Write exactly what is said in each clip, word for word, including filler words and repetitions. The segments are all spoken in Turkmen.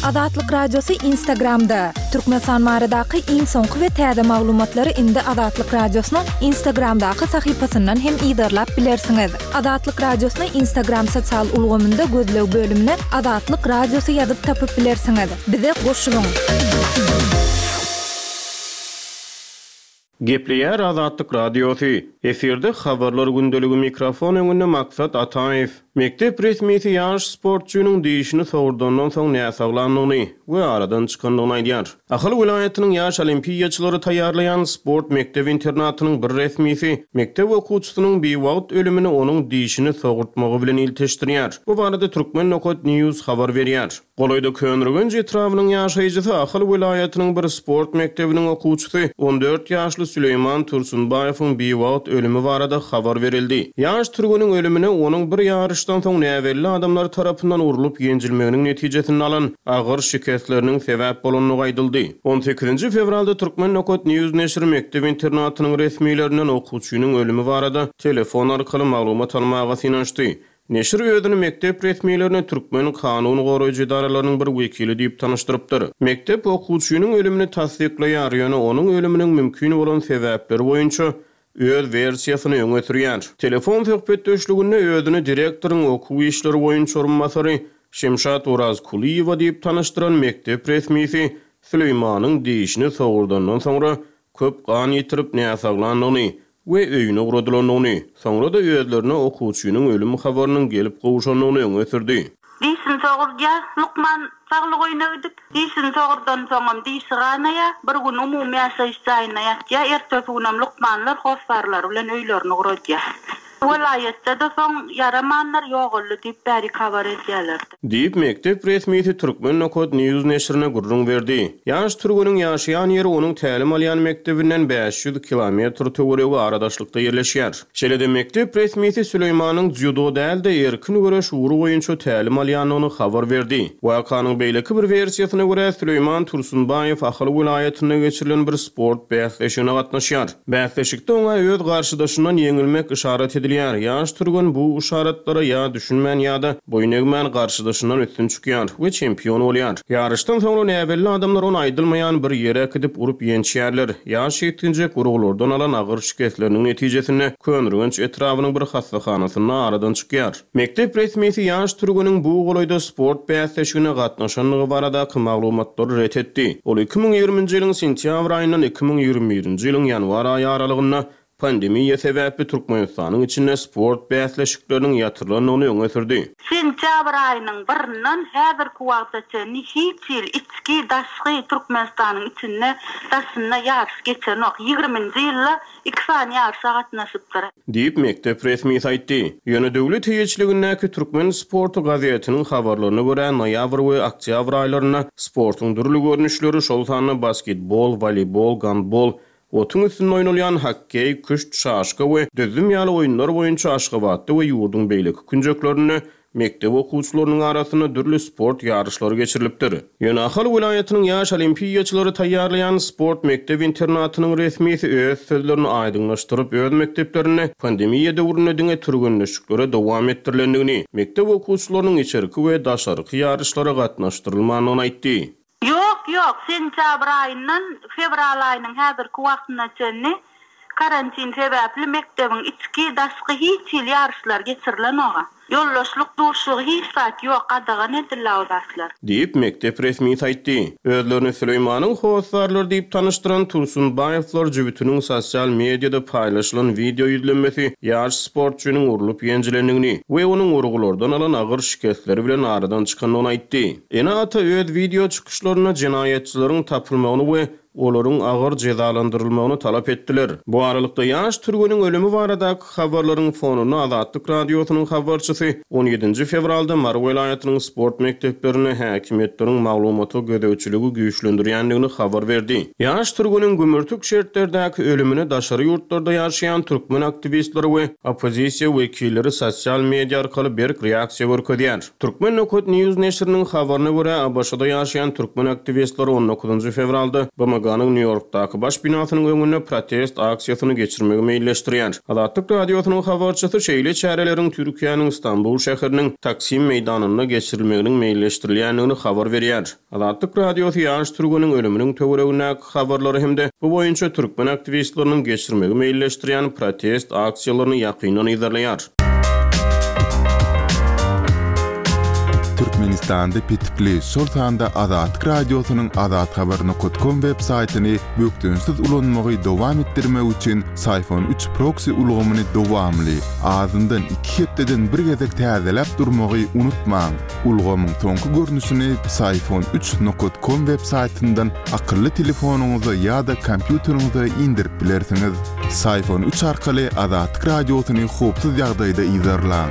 Azatlyk Radiosy Instagramda. Türkmenistan baradaky iň soňky we täze maglumatlary indi Azatlyk Radiosynyň Instagramdaky sahypasyndan hem yzarlap bilersiňiz. Azatlyk Radiosyny Instagram sosial ulgamynda gözleg bölümine Azatlyk Radiosy ýazyp tapyp bilersiňiz. Bize goşulyň. Gepleýär Azatlyk Radiosy. Efirde habarlar gündeligi, mikrofon öňünde Maksat Ataýew. Mekdep resmisi ýaş sportçynyň dişini sogurdandan soň näsaglandygyny we aradan çykandygyny aýdýar. Ahal welaýatynyň ýaş olimpiýaçylary taýýarlaýan sport mekdep internatynyň bir resmisi mekdep okuwçysynyň biwagt ölümini onuň dişini sogurtmagy bilen ilteşdirýär. Bu barada Turkmen nokat News habar berýär. Golaýda Köneürgenç etrabynyň ýaşaýjysy Ahal welaýatynyň bir sport mekdebiniň okuwçysy on dört ýaşly Süleýman Tursunbaýewiň biwagt ölümi barada habar berildi. Ýaş türgeniň ölümine onuň bir ýaryşdan soň näbelli adamlar tarapyndan urlup ýenjilmeginiň netijesinde alan agyr şikesleriniň sebäp bolandygy aýdyldy. on sekizinji fewralda Turkmen nokat News neşiri mekdep internatynyň resmilerinden okuwçynyň ölümi barada telefon arkaly maglumat almaga synanyşdy. Neşir özüni mekdep resmilerine türkmen kanun goraýjy edaralarynyň bir wekili diýip tanyşdyrypdyr. Mekdep okuwçynyň ölümini tassyklaýar, ýöne onuň ölüminiň mümkin bolan sebäpleri boýunça öz wersiýasyny öňe sürýär. Telefon söhbetdeşliginde özüni direktoryň okuw işleri boýunça orunbasary Şemşat Orazkulyýewa diýip tanyşdyran mekdep resmisi Süleýmanyň dişini sogurdandan soňra köp gan ýitirip näsaglandygyny we öýüne ugradylandygyny, soňra-da özlerine okuwçynyň ölüm habarynyň gelip gowşandygyny öňe sürdi. Dişini sogurdýar, lukman saglyk öýüne gidip, dişini sogurdan soňam dişi ganaýar, bir gün umumy ýaşaýyş jaýyna ýatýar, ertesi günem lukmanlar hossarlary bilen öýlerini ugradýar. Welaýatda-da soň ýaramanlar ýogaldy diýip bäri habar edýärler. Diýip mekdep resmisi Turkmen nokat News neşirine gürrüň berdi. Ýaş türgeniň ýaşaýan ýeri onuň tälim alýan mekdebinden bäş ýüz kilometr töweregi aradaşlykda ýerleşýär. Şeýle-de mekdep resmisi Süleýmanyň dzýudo däl-de erkin göreş ugry boýunça tälim alýandygyny habar berdi. Wakanyň beýleki bir wersiýasyna görä Süleýman Tursunbaýew Ahal welaýatynda geçirilen bir sport bäsleşigine gatnaşýar. Bäsleşikde oňa öz garşydaşyndan ýeňilmek yşarat edilýär. Ýaş türgen bu yşaratlara ýa düşünmän ýa-da boýun egmän garşydaşyndan üstün çykýar we çempion bolýar. Ýaryşdan soňra näbelli adamlar ony aýdylmaýan bir ýere gidip urup ýençýärler. Ýaş ýetginjek urgulardan alan agyr şikesleriniň netijesinde Köneürgenç etrabynyň bir hassahanasynda aradan çykýar. Mekdep resmisi ýaş türgeniň bu golaýda sport bäsleşigine gatnaşandygy baradaky maglumatlary ret etdi. Ol iki müň ýigriminji ýylyň sentýabr aýyndan iki müň ýigrimi birinji ýylyň ýanwar aýy aralygynda pandemiýa sebäpli Türkmenistanyň içinde sport bäsleşikleriniň ýatyrylandygyny öňe sürdi. Sentýabr aýynyň birinden häzirki wagta çenli hiç ýyl içki daşky Türkmenistanyň içinde daşynda ýaryş geçenok. Ýigriminji ýylda iki sany ýaryşa gatnaşypdyr. Diýip mekdep resmisi aýtdy. Ýöne döwlet eýeçiligindäki Türkmen sporty gazetiniň habarlaryna görä noýabr we oktýabr aýlarynda sportuň dürli görnüşleri, şol sanda basketbol, woleýbol, gandbol, otuň üstünde oýnalýan hokkeý, küşt, şaşka we düzzüm ýaly oýunlar boýunça Aşgabatda we ýurduň beýleki künjeklerinde mekdep okuwçylarynyň arasynda dürli sport ýaryşlary geçirilipdir. Ýöne Ahal welaýatynyň ýaş olimpiýaçylary taýýarlaýan sport mekdep internatynyň resmisi öz sözlerini aýdyňlaşdyryp, öz mekdeplerinde pandemiýa döwründe diňe türgenleşiklere dowam etdirilendigini, mekdep okuwçylarynyň içerki we daşarky ýaryşlara gatnaşdyrylmandygyny aýtdy. Ýok, ýok, sentýabr aýyndan fewral aýynyň häzirki wagtyna çenli karantin sebäpli mekdebiň içki daşky hiç ýyl ýaryşlar geçirilenok. Ýoldaşlyk duşugy hiç zat ýok, gadagan edildi o zatlar. Diýip mekdep resmisi aýtdy. Özlerini Süleýmanyň hossarlary diýip tanyşdyran Tursunbaýewler jübütiniň sosial mediada paýlaşylan wideo ýüzlenmesi ýaş sportçynyň urlup ýenjilendigini we onuň urgulardan alan agyr şikesleri bilen aradan çykandygyny aýtdy. Ene-ata öz wideo çykyşlarynda jenaýatçylaryň tapylmagyny we olaryň agyr jezalandyrylmagyny talap etdiler. Bu aralykda ýaş türgeniň ölümi baradaky habarlaryň fonunda Azatlyk Radiosynyň habarçysy on ýedinji fewralda Mary welaýatynyň sport mekdeplerinde häkimiýetleriň maglumata gözegçiligi güýçlendirýändigini habar berdi. Ýaş türgeniň gümürtik şertlerdäki ölümine daşary ýurtlarda ýaşaýan türkmen aktiwistleri we oppozisiýa wekilleri sosial media arkaly berk reaksiýa görkezýär. Turkmen nokat News neşiriniň habaryna görä A B Ş-da ýaşaýan türkmen aktiwistleri on dokuzynjy fewralda B M B M G-niň Nýu-Ýorkdaky baş binasynyň öňünde protest aksiýasyny geçirmegi meýilleşdirýär. Azatlyk Radiosynyň habarçysy şeýle çäreleriň Türkiýäniň Stambul şäheriniň Taksim meýdanynda geçirilmeginiň meýilleşdirilýändigini habar berýär. Azatlyk Radiosy ýaş türgeniň ölüminiň töweregindäki habarlary hem-de bu boýunça türkmen aktiwistleriniň geçirmegi meýilleşdirýän protest aksiýalaryny ýakyndan yzarlaýar. Türkmenistanda petikli, şol sanda Azatlyk Radiosynyň azathabar nokat kom web saýtyny bökdençsiz ulanmagy dowam etdirmek üçin Syfon üç proksi ulgamyny dowamly, azyndan iki hepdeden bir gezek täzeläp durmagy unutmaň. Ulgamyň soňky görnüşini Syfon üç nokat kom web saýtyndan akylly telefonyňyza ýa-da kompýuteriňize indirip bilersiňiz. Syfon üç arkaly Azatlyk Radiosyny howpsuz ýagdaýda yzarlaň.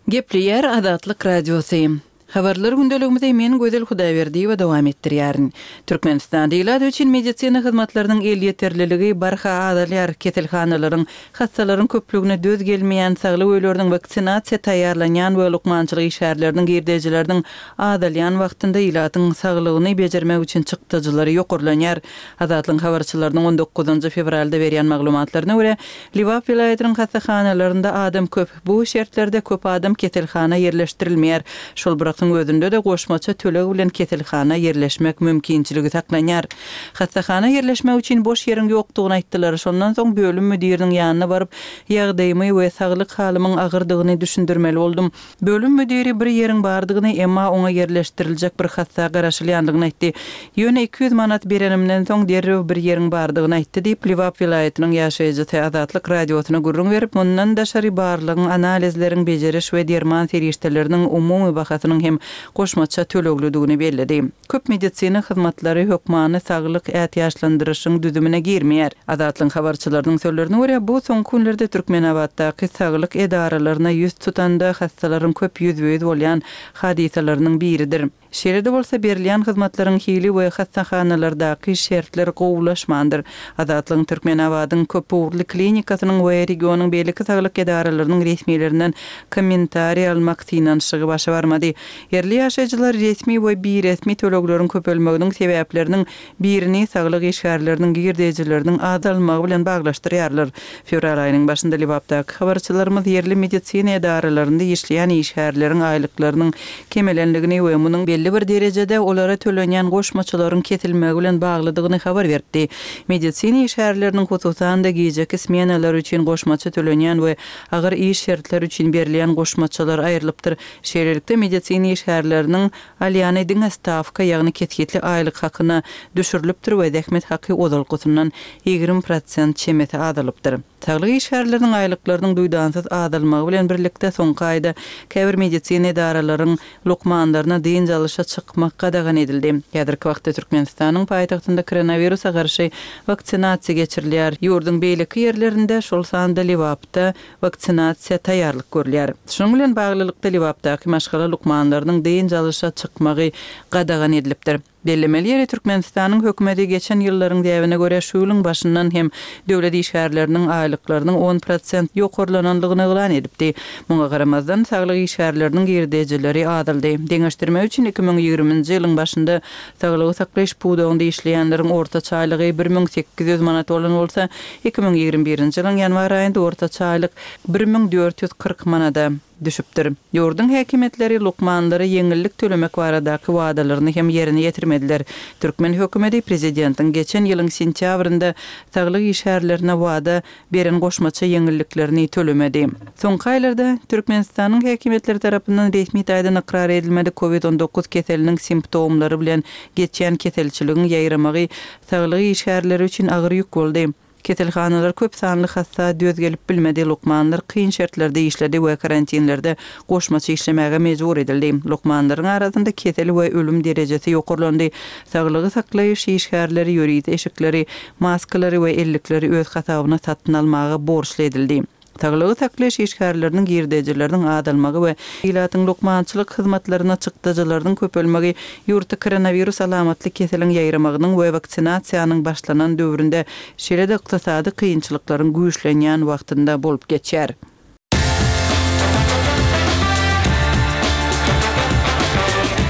Gepleýär Azatlyk Radiosy. Habarlar gündeligimizi men Gözel Hudaýberdiýewa dowam etdirýärin. Türkmenistanda ilat üçin medisina hyzmatlarynyň elýeterliligi barha azalýar. Keselhanalaryň, hassalaryň köplügine döz gelmeýän saglyk öýleriniň waksinasiýa taýýarlanýan we lukmançylyk işgärleriniň girdejileriniň azalýan wagtynda ilatyň saglygyny bejermek üçin çykdajylary ýokarlanýar. Azatlygyň habarçylarynyň on dokuzynjy fewralda berýän maglumatlaryna görä, Lebap welaýatynyň hassahanalarynda adam köp. Bu şertlerde köp adam keselhana ýerleşdirilmeýär. Şol bir wagtyň özünde-de goşmaça töleg bilen keselhana ýerleşmek mümkinçiligi saklanýar. Hassahana ýerleşmek üçin boş ýeriň ýokdugyny aýtdylar. Şondan soň bölüm müdiriniň ýanyna baryp, ýagdaýymy we saglyk halymyň agyrdygyny düşündirmeli boldum. Bölüm müdiri bir ýeriň bardygyny, emma oňa ýerleşdiriljek bir hassa garaşylýandygyny aýtdy. Ýöne iki ýüz manat berenimden soň derrew bir ýeriň bardygyny aýtdy diýip, Lebap welaýatynyň ýaşaýjysy Azatlyk Radiosyna gürrüň berip, mundan daşary barlygyň, analizleriň, bejeriş we derman serişdeleriniň umumy bahasynyň hem goşmaça töleglidigini belledi. Köp medisina hyzmatlary hökmany saglyk ätiýaçlandyryşyň düzümine girmeýär. Azatlygyň habarçylarynyň sözlerine görä, bu soňky günlerde Türkmenabatdaky saglyk edaralaryna ýüz tutanda hassalaryň köp ýüzbe-ýüz bolýan hadysalarynyň biridir. Şeýle-de bolsa berilýän hyzmatlaryň hili we hassahanalardaky şertler gowulaşmandyr. Azatlygyň Türkmenabadyň köpugurly klinikasynyň we regionyň beýleki saglyk edaralarynyň resmilerinden kommentariý almak synanyşygy başa barmady. Ýerli ýaşaýjylar resmi we biresmi tölegleriň köpelmeginiň sebäpleriniň birini saglyk işgärleriniň girdejileriniň azalmagy bilen baglaşdyrýarlar. Fewral aýynyň başynda Lebapdaky habarçylarymyz ýerli medisina edaralarynda işleýän işgärleriň aýlyklarynyň kemelenligini we munuň belli bir derejede olara tölenýän goşmaçalaryň kesilmegi bilen baglydygyny habar berdi. Medisina işgärleriniň hususan-da gijeki smenalar üçin goşmaça tölenýän we agyr iş şertleri üçin berilýän goşmaçalar aýrylypdyr. Şeýlelikde medisina işgärleriniň alýany diňe stawka, ýagny kesgitli aýlyk hakyna düşürilipdir we zähmet haky ozalkysyndan ýigrimi prosent çemesi azalypdyr. Saglyk işgärleriniň aýlyklarynyň duýdansyz azalmagy bilen birlikde soňky aýda käbir medisina edaralaryň lukmanlaryna dynç alyşa çykmak gadagan edildi. Häzirki wagtda Türkmenistanyň paýtagtynda koronawirusa garşy waksinasiýa geçirilýär. Ýurduň beýleki ýerlerinde, şol sanda Lebapda waksinasiýa taýýarlyk görülýär. Şunuň bilen baglylykda Lebapdaky maşgala lukmanlarynyň dynç alyşa çykmagy gadagan edilipdir. Bellemeli ýeri Türkmenistanyň hökümeti geçen ýyllaryň däbine görä şu ýylyň başyndan hem döwlet işgärleriniň aýlyklarynyň on prosent ýokarlanandygyny yglan edipdi. Muňa garamazdan saglyk işgärleriniň girdejileri azaldy. Deňeşdirmek üçin iki müň ýigriminji ýylyň başynda saglygy saklaýyş pudagynda işleýänleriň ortaça aýlygy bir müň sekiz ýüz manat bolan bolsa, iki müň ýigrimi birinji ýylyň ýanwar aýynda ortaça aýlyk bir müň dört ýüz kyrk manada düşüpdir. Ýurduň häkimiýetleri lukmanlara ýeňillik tölemek baradaky wadalaryny hem ýerine ýetirmediler. Türkmen hökümeti prezidentiň geçen ýylyň sentýabrynda saglyk işgärlerine wada beren goşmaça ýeňilliklerini tölemedi. Soňky aýlarda Türkmenistanyň häkimiýetleri tarapyndan resmi taýdan ykrar edilmedik COVID on dokuz keseliniň simptomlary bilen geçýän keselçiligiň ýaýramagy saglyk işgärleri üçin agyr ýük boldy. Keselhanalar köp sanly hassa döz gelip bilmedi, lukmanlar kyn şertlerde işledi we karantinlerde goşmaça işlemäge mejbur edildi. Lukmanlaryň arasynda kesel we ölüm derejesi ýokarlandy. Saglygy saklaýyş işgärleri ýörite eşikleri, maskalary we ellikleri öz hasabyna satyn almaga borçly edildi. Saglygy saklaýyş işgärleriniň girdejileriniň azalmagy we ilatyň lukmançylyk hyzmatlaryna çykdajylarynyň köpelmegi ýurtda koronawirus alamatly keseliň ýaýramagynyň we waksinasiýanyň başlanan döwründe şeýle-de ykdysady kynçylyklaryň güýçlenýän wagtynda bolup geçýär.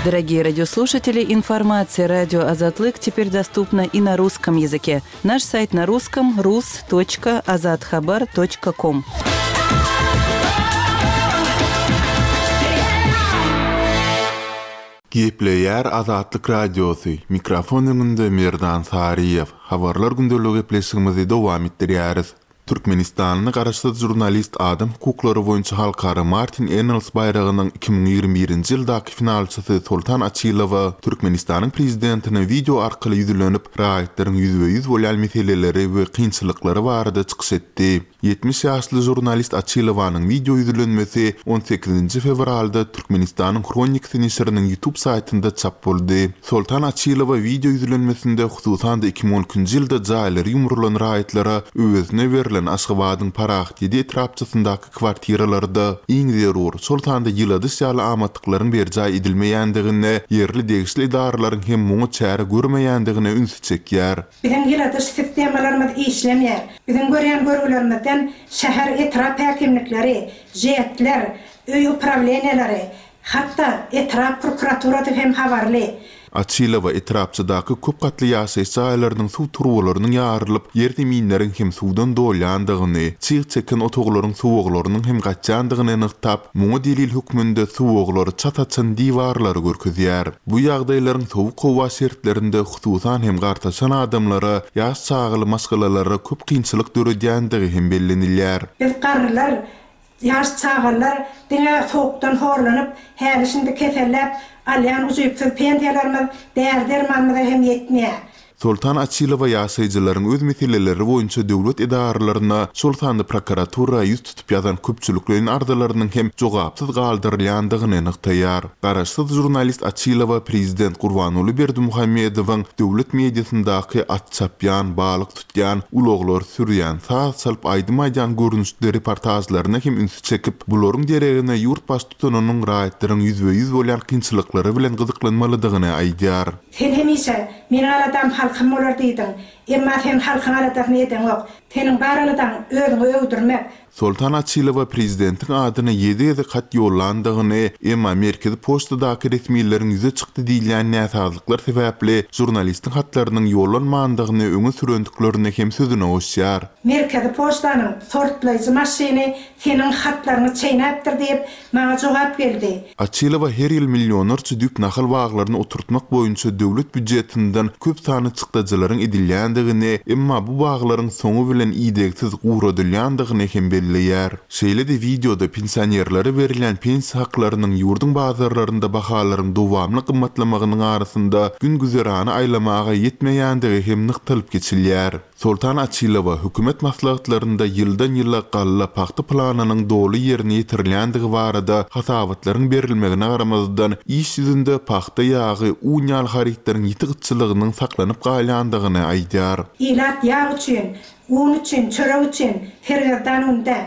Дорогие радиослушатели, информация радио Азатлык теперь доступна и на русском языке. Наш сайт на русском rus.azathabar.com. Gepleýär Azatlyk Radiosy. Mikrofon öňünde Merdan Saryýew. Habarlar gündeligi gepleşigimizi dowam etdirýäris. Türkmenistanly garaşsyz žurnalist adam hukuklary boýunça halkara Martin Ennals baýragynyň iki müň ýigrimi birinji ýyldaky finalçysy Soltan Açylowa Türkmenistanyň prezidentine wideo arkaly ýüzlenip, raýatlaryň ýüzbe-ýüz bolýan meseleleri we kynçylyklary barada çykyş etdi. Ýetmiş ýaşly žurnalist Açylowanyň wideo ýüzlenmesi on sekizinji fewralda Türkmenistanyň Hronikasy neşiriniň YouTube saýtynda çap boldy. Soltan Açylowa wideo ýüzlenmesinde hususan-da iki müň on ikinji ýylda jaýlary ýumrulan raýatlara öwezine berlen Aşgabadyň Parahat ýedi etrapçasyndaky kwartiralarda iň zerur, şol sanda ýyladyş ýaly amatlyklaryň berjaý edilmeýändigine, ýerli degişli edaralaryň hem muňa çäre görmeýändigine ünsi çekýär. Biziň ýyladyş sistemalarymyz işlemeýär. Biziň görýän görgülerimizden şäher etrap häkimlikleri, jetler, öý uprawleniýaları, hatda etrap prokuraturasy hem habarly. Açylowa etrapçadaky köp gatly ýaşaýyş jaýlarynyň suw turbalarynyň ýarylyp, ýer zeminleriň hem suwdan dolýandygyny, çyg çeken otaglaryň suwaglarynyň hem gaçýandygyny nygtap, muňa delil hökmünde suwaglary çat açan diwarlary görkezýär. Bu ýagdaýlaryň sowuk howa şertlerinde hususan hem gartaşan adamlara, ýaş çagaly maşgalalara köp kynçylyk döredýändigi hem bellenilýär. Biz garrylar, ýaş çagalar diňe soğukdan horlanyp, häli şimdi keselläp alýan uzupsyz pensiýalarymyz däri-dermanymyza hem ýetmeýär. Soltan Açylowa ýaşaýjylaryň öz meseleleri boýunça döwlet edaralaryna, şol sanda prokuratura ýüz tutup ýazan köpçülikleýin arzalarynyň hem jogapsyz galdyrylýandygyny nygtaýar. Garaşsyz žurnalist Açylowa prezident Gurbanguly Berdimuhamedowyň döwlet mediasyndaky at çapýan, balyk tutýan, ulaglar sürýän, saz çalyp aýdym aýdýan görnüşli reportajlaryna hem ünsi çekip, bularyň deregine ýurt baştutanynyň raýatlaryň ýüzbe-ýüz bolýan kynçylyklary bilen gyzyklanmalydygyny aýdýar. Sen hemişe meniň aladam halkym bolar diýdiň. Emma sen halkyň aladasyny edeňok. Seniň bar aladaň özüňi öwdürmek. Soltan Açylowa prezidentiň adyna ýedi gezek hat ýollandygyny, emma merkezi poçtadaky resmileriň ýüze çykdy diýilýän näsazlyklar sebäpli žurnalistiň hatlarynyň ýollanmandygyny öňe sürendiklerini hem sözüne goşýar. Merkezi poçtanyň sortlaýjy maşyny seniň hatlaryňy çeýnäpdir diýip maňa jogap geldi. Açylowa her ýyl millionlarça düýp nahal baglaryny oturtmak boýunça döwlet býujetinden köp sany çykdajylaryň edilýändigini, emma bu baglaryň soňy bilen idegsiz guradylýandygyny hem belleýär. Şeýle-de wideoda pensionerlere berilýän pensiýa haklarynyň ýurduň bazarlarynda bahalaryň dowamly gymmatlamagynyň arasynda gün güzerany aýlamaga ýetmeýändigi hem nygtalyp geçilýär. Soltan Açylowa hökümet maslahatlarynda ýyldan ýyla galla pagta planynyň doly ýerine ýetirilýändigi barada hasabatlaryň berilmegine garamazdan iş ýüzünde pagta ýagy, un ýaly harytlaryň ýiti gytçylygynyň saklanyp galýandygyny aýdýar. Ilat ýag üçin, un üçin, çörek üçin sergezdan unda.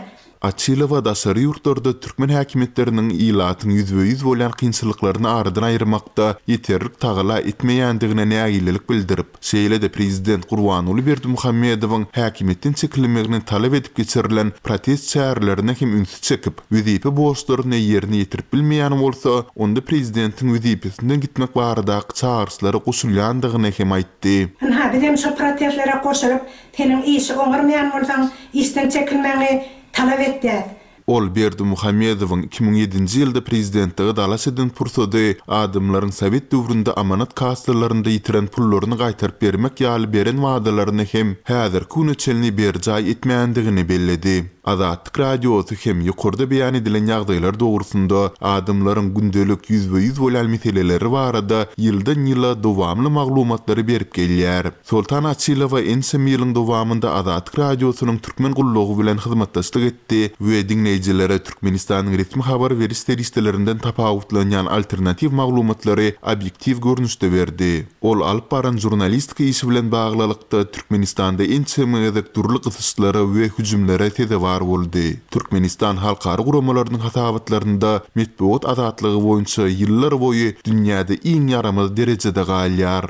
Açylowa daşary ýurtlarda türkmen häkimiýetleriniň ilatyň ýüzbe-ýüz bolýan kynçylyklaryny aradan aýyrmakda ýeterlik tagala etmeýändigine nägilelik bildirip, şeýle-de prezident Gurbanguly Berdimuhamedowyň häkimiýetden çekilmegini talap edip geçirilen protest çärelerine hem ünsi çekip, wezipe borçlaryny ýerine ýetirip bilmeýän bolsa, onda prezidentiň wezipesinden gitmek baradaky çagyryşlara goşulýandygyny hem aýtdy. Ynha, bizem şu protestlere goşulyp, seniň işi oňarmaýan bolsaň, işden çekilmegini talap etýär. Ol Berdimuhamedowyň iki müň ýedinji ýylda prezidentlige dalaş eden pursady adamlaryň Sowet döwründe amanat kassalarynda ýitiren pullaryny gaýtaryp bermek ýaly beren wadalaryny hem häzirki güne çenli berjaý etmändigini belledi. Azatlyk Radiosy hem ýokarda beýan edilen ýagdaýlar dogrusynda adamlaryň gündelik ýüzbe-ýüz bolýan meseleleri barada ýyldan ýyla dowamly maglumatlary berip gelýär. Soltan Açylowa ençeme ýylyň dowamynda Azatlyk Radiosynyň türkmen gullugy bilen hyzmatdaşlyk etdi we diňleýjilere Türkmenistanyň resmi habar beriş serişdelerinden tapawutlanýan alternatiw maglumatlary obýektiw görnüşde berdi. Ol alyp baran žurnalistika işi bilen baglylykda Türkmenistanda ençeme gezek dürli gysyşlara we hüjümlere sezewar boldy. Türkmenistan halkara guramalarynyň hasabatlarynda metbugat azatlygy boýunça ýyllar boýy dünýäde iň ýaramaz derejede galýar.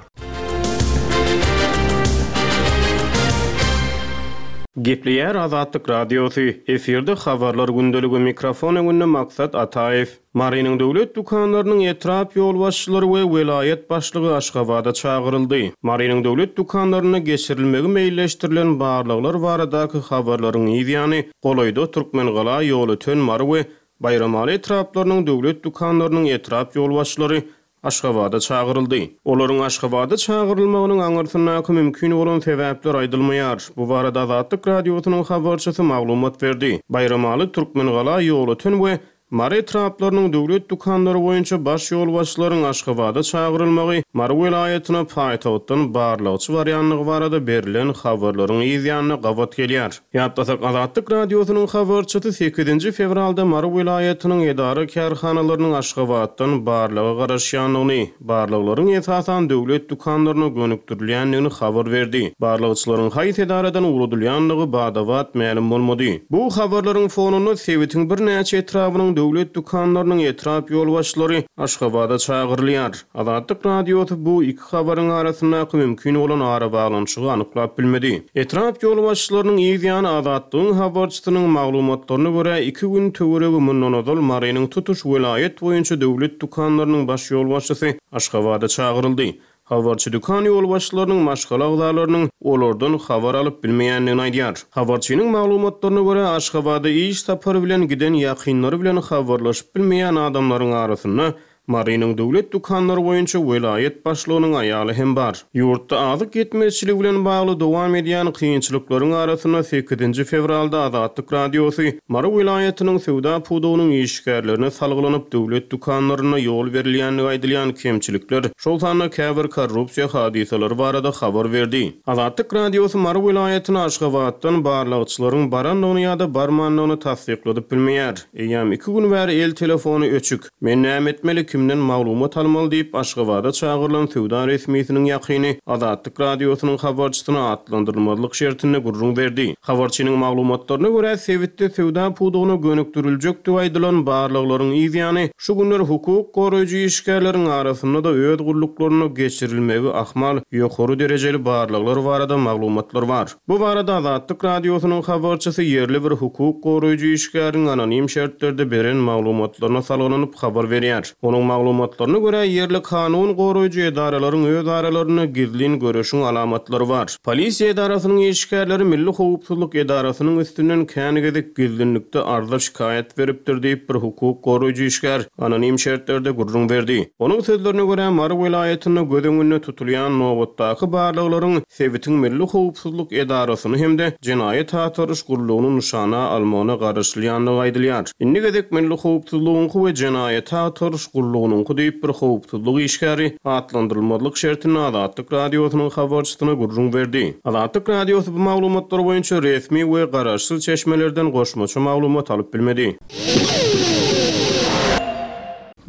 Gepleýär Azatlyk Radiosy, efirde Habarlar gündeligi, mikrofon öňünde Maksat Ataýew. Marynyň döwlet dükanlarynyň etrap ýolbaşçylary we welaýat başlygy Aşgabada çagyryldy. Marynyň döwlet dükanlarynda geçirilmegi meýilleşdirilen barlaglar baradaky habarlaryň yz ýany, golaýda Türkmengala, Ýolöten, Mary we Baýramaly etraplarynyň döwlet dükanlarynyň etrap ýolbaşçylary Aşgabada çagyryldy. Olaryň Aşgabada çagyrylmagynyň aňyrsyndaky mümkin bolan sebäpler aýdylmaýar. Bu barada Azatlyk Radiosynyň habarçysy maglumat berdi. Baýramaly, Türkmengala, Ýolöten we Mary etraplarynyň döwlet dükanlary boýunça baş ýolbaşçylaryň Aşgabada çagyrylmagy Mary welaýatyna paýtagtdan barlagçy barýandygy barada berlen habarlaryň yz ýanyna gabat gelýär. Ýatlasak, Azatlyk Radiosynyň habarçysy sekizinji fewralda Mary welaýatynyň edara-kärhanalarynyň Aşgabatdan barlaga garaşýandygyny, barlaglaryň esasan döwlet dükanlaryna gönükdirilýändigini habar berdi. Barlagçylaryň haýsy edaradan ugradylýandygy bada-bat mälim bolmady. Bu habarlaryň fonunda sebitiň birnäçe etrabynyň döwlet dükanlarynyň etrap ýolbaşçylary Aşgabada çagyrylýar. Azatlyk Radiosy bu iki habaryň arasyndaky mümkin bolan arabaglanyşygy anyklap bilmedi. Etrap ýolbaşçylarynyň yz ýany Azatlygyň habarçysynyň maglumatlaryna görä iki gün töweregi mundan ozal Marynyň tutuş welaýat boýunça döwlet dükanlarynyň baş ýolbaşçysy Aşgabada çagyryldy. Habarçy dükan ýolbaşçylarynyň maşgala agzalarynyň olardan habar alyp bilmeýändigini aýdýar. Habarçynyň maglumatlaryna görä Aşgabada iş sapary bilen giden ýakynlary bilen habarlaşyp bilmeýän adamlaryň arasynda Marynyň döwlet dükanlary boýunça welaýat başlygynyň aýaly hem bar. Ýurtda azyk ýetmezçiligi bilen bagly dowam edýän kynçylyklaryň arasynda sekizinji fewralda Azatlyk Radiosy Mary welaýatynyň söwda pudagynyň işgärlerine salgylanyp döwlet dükanlarynda ýol berilýändigi aýdylýan kemçilikler, şol sanda käbir korrupsiýa hadysalary barada habar berdi. Azatlyk Radiosy Mary welaýatyna Aşgabatdan barlagçylaryň barandygyny ýa-da barmandygyny tassykladyp bilmeýär. Eýýäm iki gün bäri el telefony öçük. Men näme etmeli, kimden maglumat almaly diýip Aşgabada çagyrylan söwda resmisiniň ýakyny Azatlyk Radiosynyň habarçysyna atlandyrylmazlyk şertinde gürrüň berdi. Habarçynyň maglumatlaryna görä sebitde söwda pudagyna gönükdiriljekdigi aýdylan barlaglaryň yz ýany şu günler hukuk goraýjy işgärleriň arasynda-da öz gulluklaryna geçirilmegi ahmal ýokary derejeli barlaglar barada maglumatlar bar. Bu barada Azatlyk Radiosynyň habarçysy ýerli bir hukuk goraýjy işgäriň anonim şertlerde beren maglumatlaryna salgylanyp habar berýär. Onuň maglumatlaryna görä ýerli kanun goraýjy edaralaryň öz aralarynda gizlin göreşiň alamatlary bar. Polisiýa edarasynyň işgärleri Milli howpsuzlyk edarasynyň üstünden kän gezek gizlinlikde arza şikaýat beripdir diýip bir hukuk goraýjy işgär anonim şertlerde gürrüň berdi. Onuň sözlerine görä Mary welaýatynda göz öňünde tutulýan nobatdaky barlaglaryň sebitiň Milli howpsuzlyk edarasyny hem-de jenaýat agtaryş gullugyny nyşana almagyna garaşylýandygy aýdylýar. Indi gezek Milli howpsuzlygyňky we jenaýat agtaryş gullugynyňky diýip bir howpsuzlyk işgäri atlandyrylmazlyk şertinde Azatlyk Radiosynyň habarçysyna gürrüň berdi. Azatlyk Radiosy bu maglumatlar boýunça resmi we garaşsyz çeşmelerden goşmaça maglumat alyp bilmedi.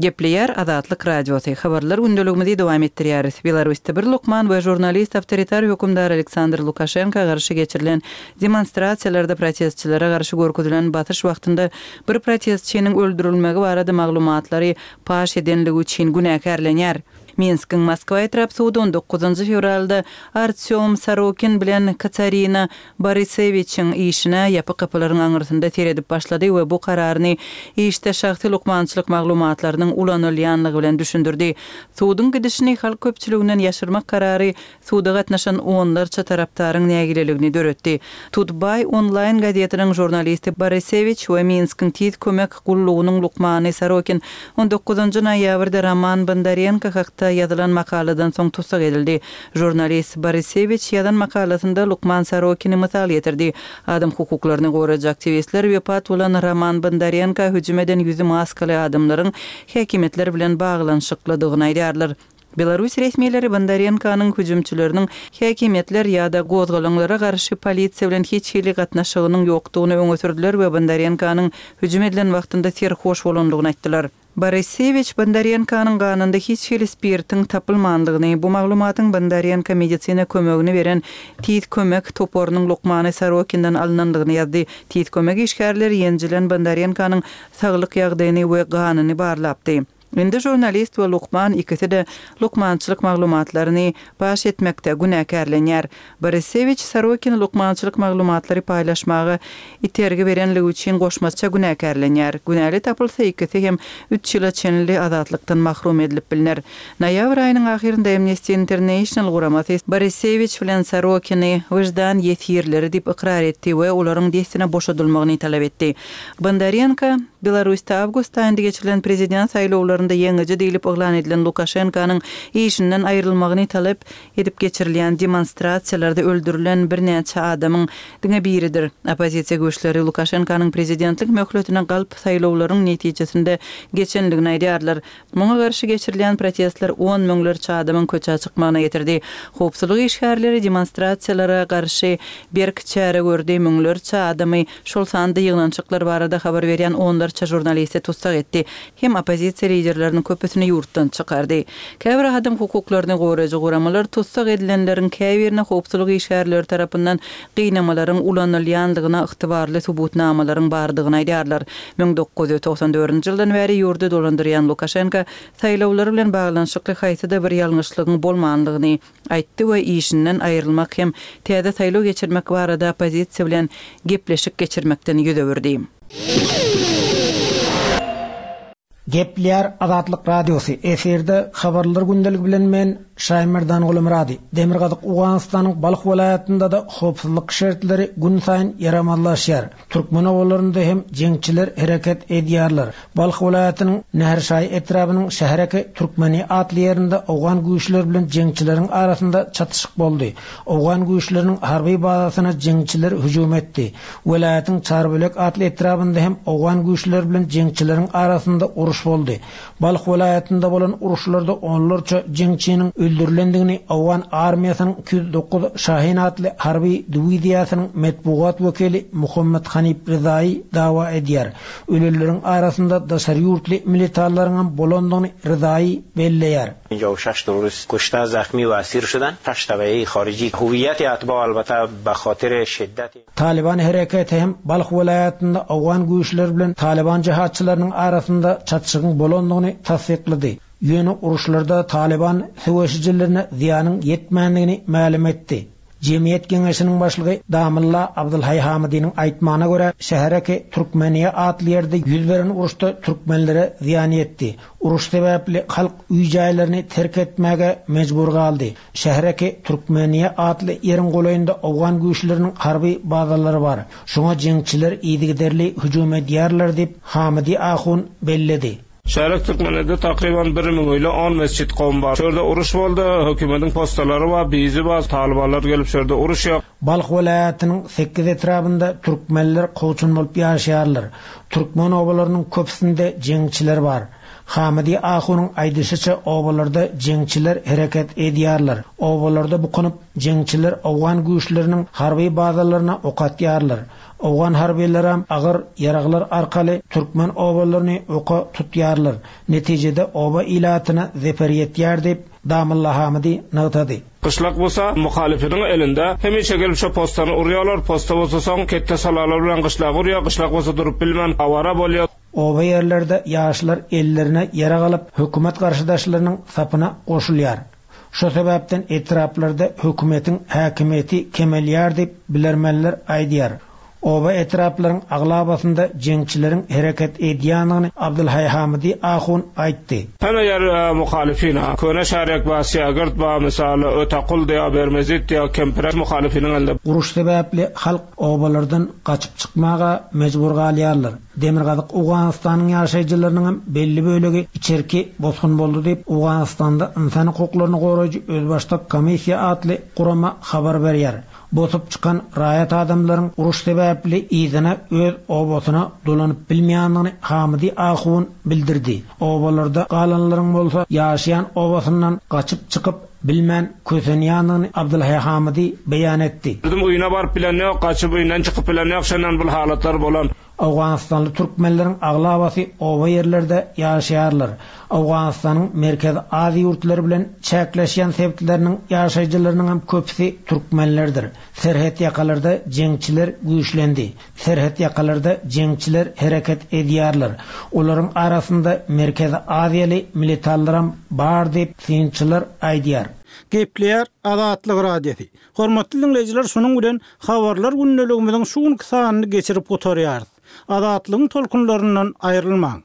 Gepleýär Azatlyk Radiosy. Habarlar gündeligimizi dowam etdirýäris. Belarusda bir lukman we žurnalist awtoritar hökümdar Aleksandr Lukaşenko garşy geçirilen demonstrasiýalarda protestçilere garşy görkezilen basyş wagtynda bir protestçiniň öldürilmegi barada maglumatlary paş edenligi üçin günäkärlenýär. Minskiň Moskwa etrap sudy on dokuzynjy fewralda Artyom Sorokin bilen Katarina Borisewiçiň işine ýapyk kapylaryň aňyrsynda seredip başlady we bu kararyny işde şahsy lukmançylyk maglumatlarynyň ulanylýanlygy bilen düşündirdi. Suduň gidişini halk köpçüliginden ýaşyrmak karary suda gatnaşan onlarça tarapdaryň nägileligini döretdi. Tutbay onlaýn gazetiniň žurnalisti Borisewiç we Minskiň tiz kömek gullugynyň lukmany Sorokin on dokuzynjy noýabrda Roman Bondarenko hakda ýazylan makaladan soň tussag edildi. Žurnalist Borisewiç ýazan makalasynda lukman Sorokini mysal getirdi. Adam hukuklaryny goraýjy aktiwistler wepat bolan Roman Bondarenko hüjüm eden ýüzi maskaly adamlaryň häkimiýetler bilen baglanyşyklydygyny aýdýarlar. Belarus resmileri Bondarenkonyň hüjümçileriniň häkimiýetler ýa-da gozgalaňlara garşy polisiýa bilen hiç hili gatnaşygynyň ýokdugyny öňe sürdüler we Bondarenkonyň hüjüm edilen wagtynda serhoş bolandygyny aýtdylar. Borisewiç Bondarenkonyň ganynda hiç hili spirtiň tapylmandygyny, bu maglumatyň Bondarenko medisina kömegini beren tiz kömek toparynyň lukmany Sorokinden alynandygyny ýazdy. Tiz kömek işgärleri ýenjilen Bondarenkonyň saglyk ýagdaýyny we ganyny barlapdy. Indi žurnalist we lukman ikisi-de lukmançylyk maglumatlaryny paş etmekde günäkärlenýär. Borisewiç Sorokin lukmançylyk maglumatlary paýlaşmaga itergi berenligi üçin goşmaça günäkärlenýär. Günäli tapylsa ikisi hem üç ýyla çenli azatlykdan mahrum edilip bilner. Noýabr aýynyň ahyrynda Amnesty International guramasy Borisewiç bilen Sorokini wyždan ýesirleri diýip ykrar etdi we olaryň dessine boşadylmagyny talap etdi. Bondarenko Belarusda awgust aýynda geçirilen prezident saýlawlarynda ýeňiji diýlip yglan edilen Lukaşenkonyň işinden aýrylmagyny talap edip geçirilýän demonstrasiýalarda öldürilen birnäçe adamyň diňe biridir. Oppozisiýa güýçleri Lukaşenkonyň prezidentlik möhletine galp saýlawlaryň netijesinde geçenligini aýdýarlar. Muňa garşy geçirilýän protestler on müňlerçe adamyň köçä çykmagyna getirdi. Howpsuzlyk işgärleri demonstrasiýalara garşy berk çäre gördi. Müňlerçe adamy şol sanda ýygnanyşyklar barada habar berýän onlarça žurnalisti tussag etdi. Hem oppozisiýa liderleriniň köpüsini ýurtdan çykardy. Käbir adam hukuklaryny goraýjy guramalar tussag edilenleriň käbirine howpsuzlyk işgärleri tarapyndan gynamalaryň ulanylýandygyna ygtybarly subutnamalaryň bardygyny aýdýarlar. Müň dokuz ýüz togsan dördünji ýyldan bäri ýurdy dolandyrýan Lukaşenko saýlawlary bilen baglanyşykly haýsyda bir ýalňyşlygyň bolmanlygyny aýtdy we işinden aýrylmak hem täze saýlaw geçirmek barada oppozisiýa bilen gepleşik geçirmekden ýüz öwürdi. Gepleýär Azatlyk Radiosy. Efirde habarlar gündeligi bilen men Şaýmerdan Gulumyrady. Demirgazyk Owganystanyň Balh welaýatynda da howpsuzlyk şertleri gün saýyn ýaramazlaşýar. Türkmen obalarynda hem jeňçiler hereket edýärler. Balh welaýatynyň Nährşaý etrabynyň şähereke Türkmeni atly ýerinde owgan güýçleri bilen jeňçileriň arasynda çatyşyk boldy. Owgan güýçleriniň harby bazasyna jeňçiler hüjüm etdi. Welaýatyň Çarbölek atly etrabynda hem owgan güýçleri bilen jeňçileriň arasynda uruş boldy. Balh welaýatynda bolan uruşlarda onlarça jeňçiniň öldürilendigini Owgan armiýasynyň iki ýüz dokuz Şahin atly harby diwiziýasynyň metbugat wekili Muhammed Hanif Rızaýy dawa edýär. Ölenleriň arasynda daşary ýurtly militarlaryň hem bolandygyny Rızaýy belleýär. پنجاه و شش terrorist کشته، زخمی و اسیر شدند. شش تبعه خارجی هویت اتباع البته به خاطر شدت Taliban hereketi hem Balh welaýatynda Owgan güýçleri bilen Taliban jihatçylarynyň arasynda çatyşygyň bolandygyny tassyklady. Ýöne uruşlarda Taliban söweşijilerine zyýanyň ýetmändigini mälim etdi. Jemgyýet Geňeşiniň başlygy Damylla Abdulhaý Hamidiniň aýtmagyna görä, şähereke Türkmeniýe atly ýerde ýüz beren uruşda türkmenlere zyýan ýetdi. Uruş sebäpli halk öý jaýlaryny terk etmäge mejbur galdy. Şähereke Türkmeniýe atly ýeriň golaýynda Owgan güýçleriniň harby bazalary bar. Şoňa jeňçiler yzygiderli hüjüm edýärler diýip Hamidi Ahun belledi. Şäherek Türkmenede takriben bir müň ile on mesjit kowum bar. Şurada uruş boldy, hökümetin postalary bar, bizi bar, talibanlar gelip şurada uruş ýok. Balh welaýatynyň sekiz etrabynda türkmenler kowçun bolup ýaşaýarlar. Türkmen obalarynyň köpüsinde jeňçiler bar. Hamidi Ahunyň aýdyşyça obalarda jeňçiler hereket edýärler. Obalarda bukunyp jeňçiler Owgan güýçleriniň harby bazalaryna ok atýarlar. Owgan harbylar hem agyr ýaraglar arkaly türkmen obalaryny oka tutýarlar. Netijede oba ilatyna zeper ýetýär diýip Damylla Hamidi nygtady. Gyşlak bolsa muhalifiniň elinde hemişe gelip şo postany urýarlar, posta bolsa soň ketde salalar bilen gyşlak urýar, gyşlak bolsa durup bilmän awara bolýar. Oba ýerlerde ýaşlar ellerine ýarag alyp hökümet garşydaşlarynyň sapyna goşulýar. Şo sebäpden etraplarda hökümetiň häkimiýeti kemelýär diýip bilermenler aýdýar. Oba etraplaryň aglabasynda jeňçileriň hereket edýändigini Abdulhaý Hamidi Ahun aýtdy. Hemme ýer, e, muhalifina. Köne şärek ba, Siýagirt ba, misaly Ötakul diýa, Bermezit diýa, Kempire muhalifiniň elinde. Uruş sebäpli halk obalardan gaçyp çykmaga mejbur galýarlar. Demirgazyk Owganystanyň ýaşaýjylarynyň hem belli bölegi içerki bosgun boldy diýip Owganystanda insan hukuklaryny goraýjy özbaşdak komissiýa atly gurama habar berýär. Bosup çykan raýat adamlaryň uruş sebäpli yzyna öz obasyna dolanyp bilmeýändigini Hamidi Ahun bildirdi. Obalarda galanlaryň bolsa ýaşaýan obasyndan gaçyp çykyp bilmän kösenýändigini Abdulhaý Hamidi beýan etdi. Bizim öýüne baryp bilen ýok, gaçyp öýünden çykyp bilen ýok, şondan bu halatlar bolan. Owganystanly türkmenleriň aglabasy oba ýerlerde ýaşaýarlar. Owganystanyň Merkezi Aziýa ýurtlary bilen çäkleşýän sebitleriniň ýaşaýjylarynyň hem köpüsi türkmenlerdir. Serhet ýakalarda jeňçiler güýçlendi. Serhet ýakalarda jeňçiler hereket edýärler. Olaryň arasynda Merkezi Aziýaly militanlaram bar diýip, synçylar aýdýar. Gepleýär Azatlyk Radiosy. Hormatly diňleýjiler, şunuň bilen Habarlar gündeligimiziň şu günki sanyny geçirip gutarýarys. Azatlygyň tolkunlaryndan aýrylmaň!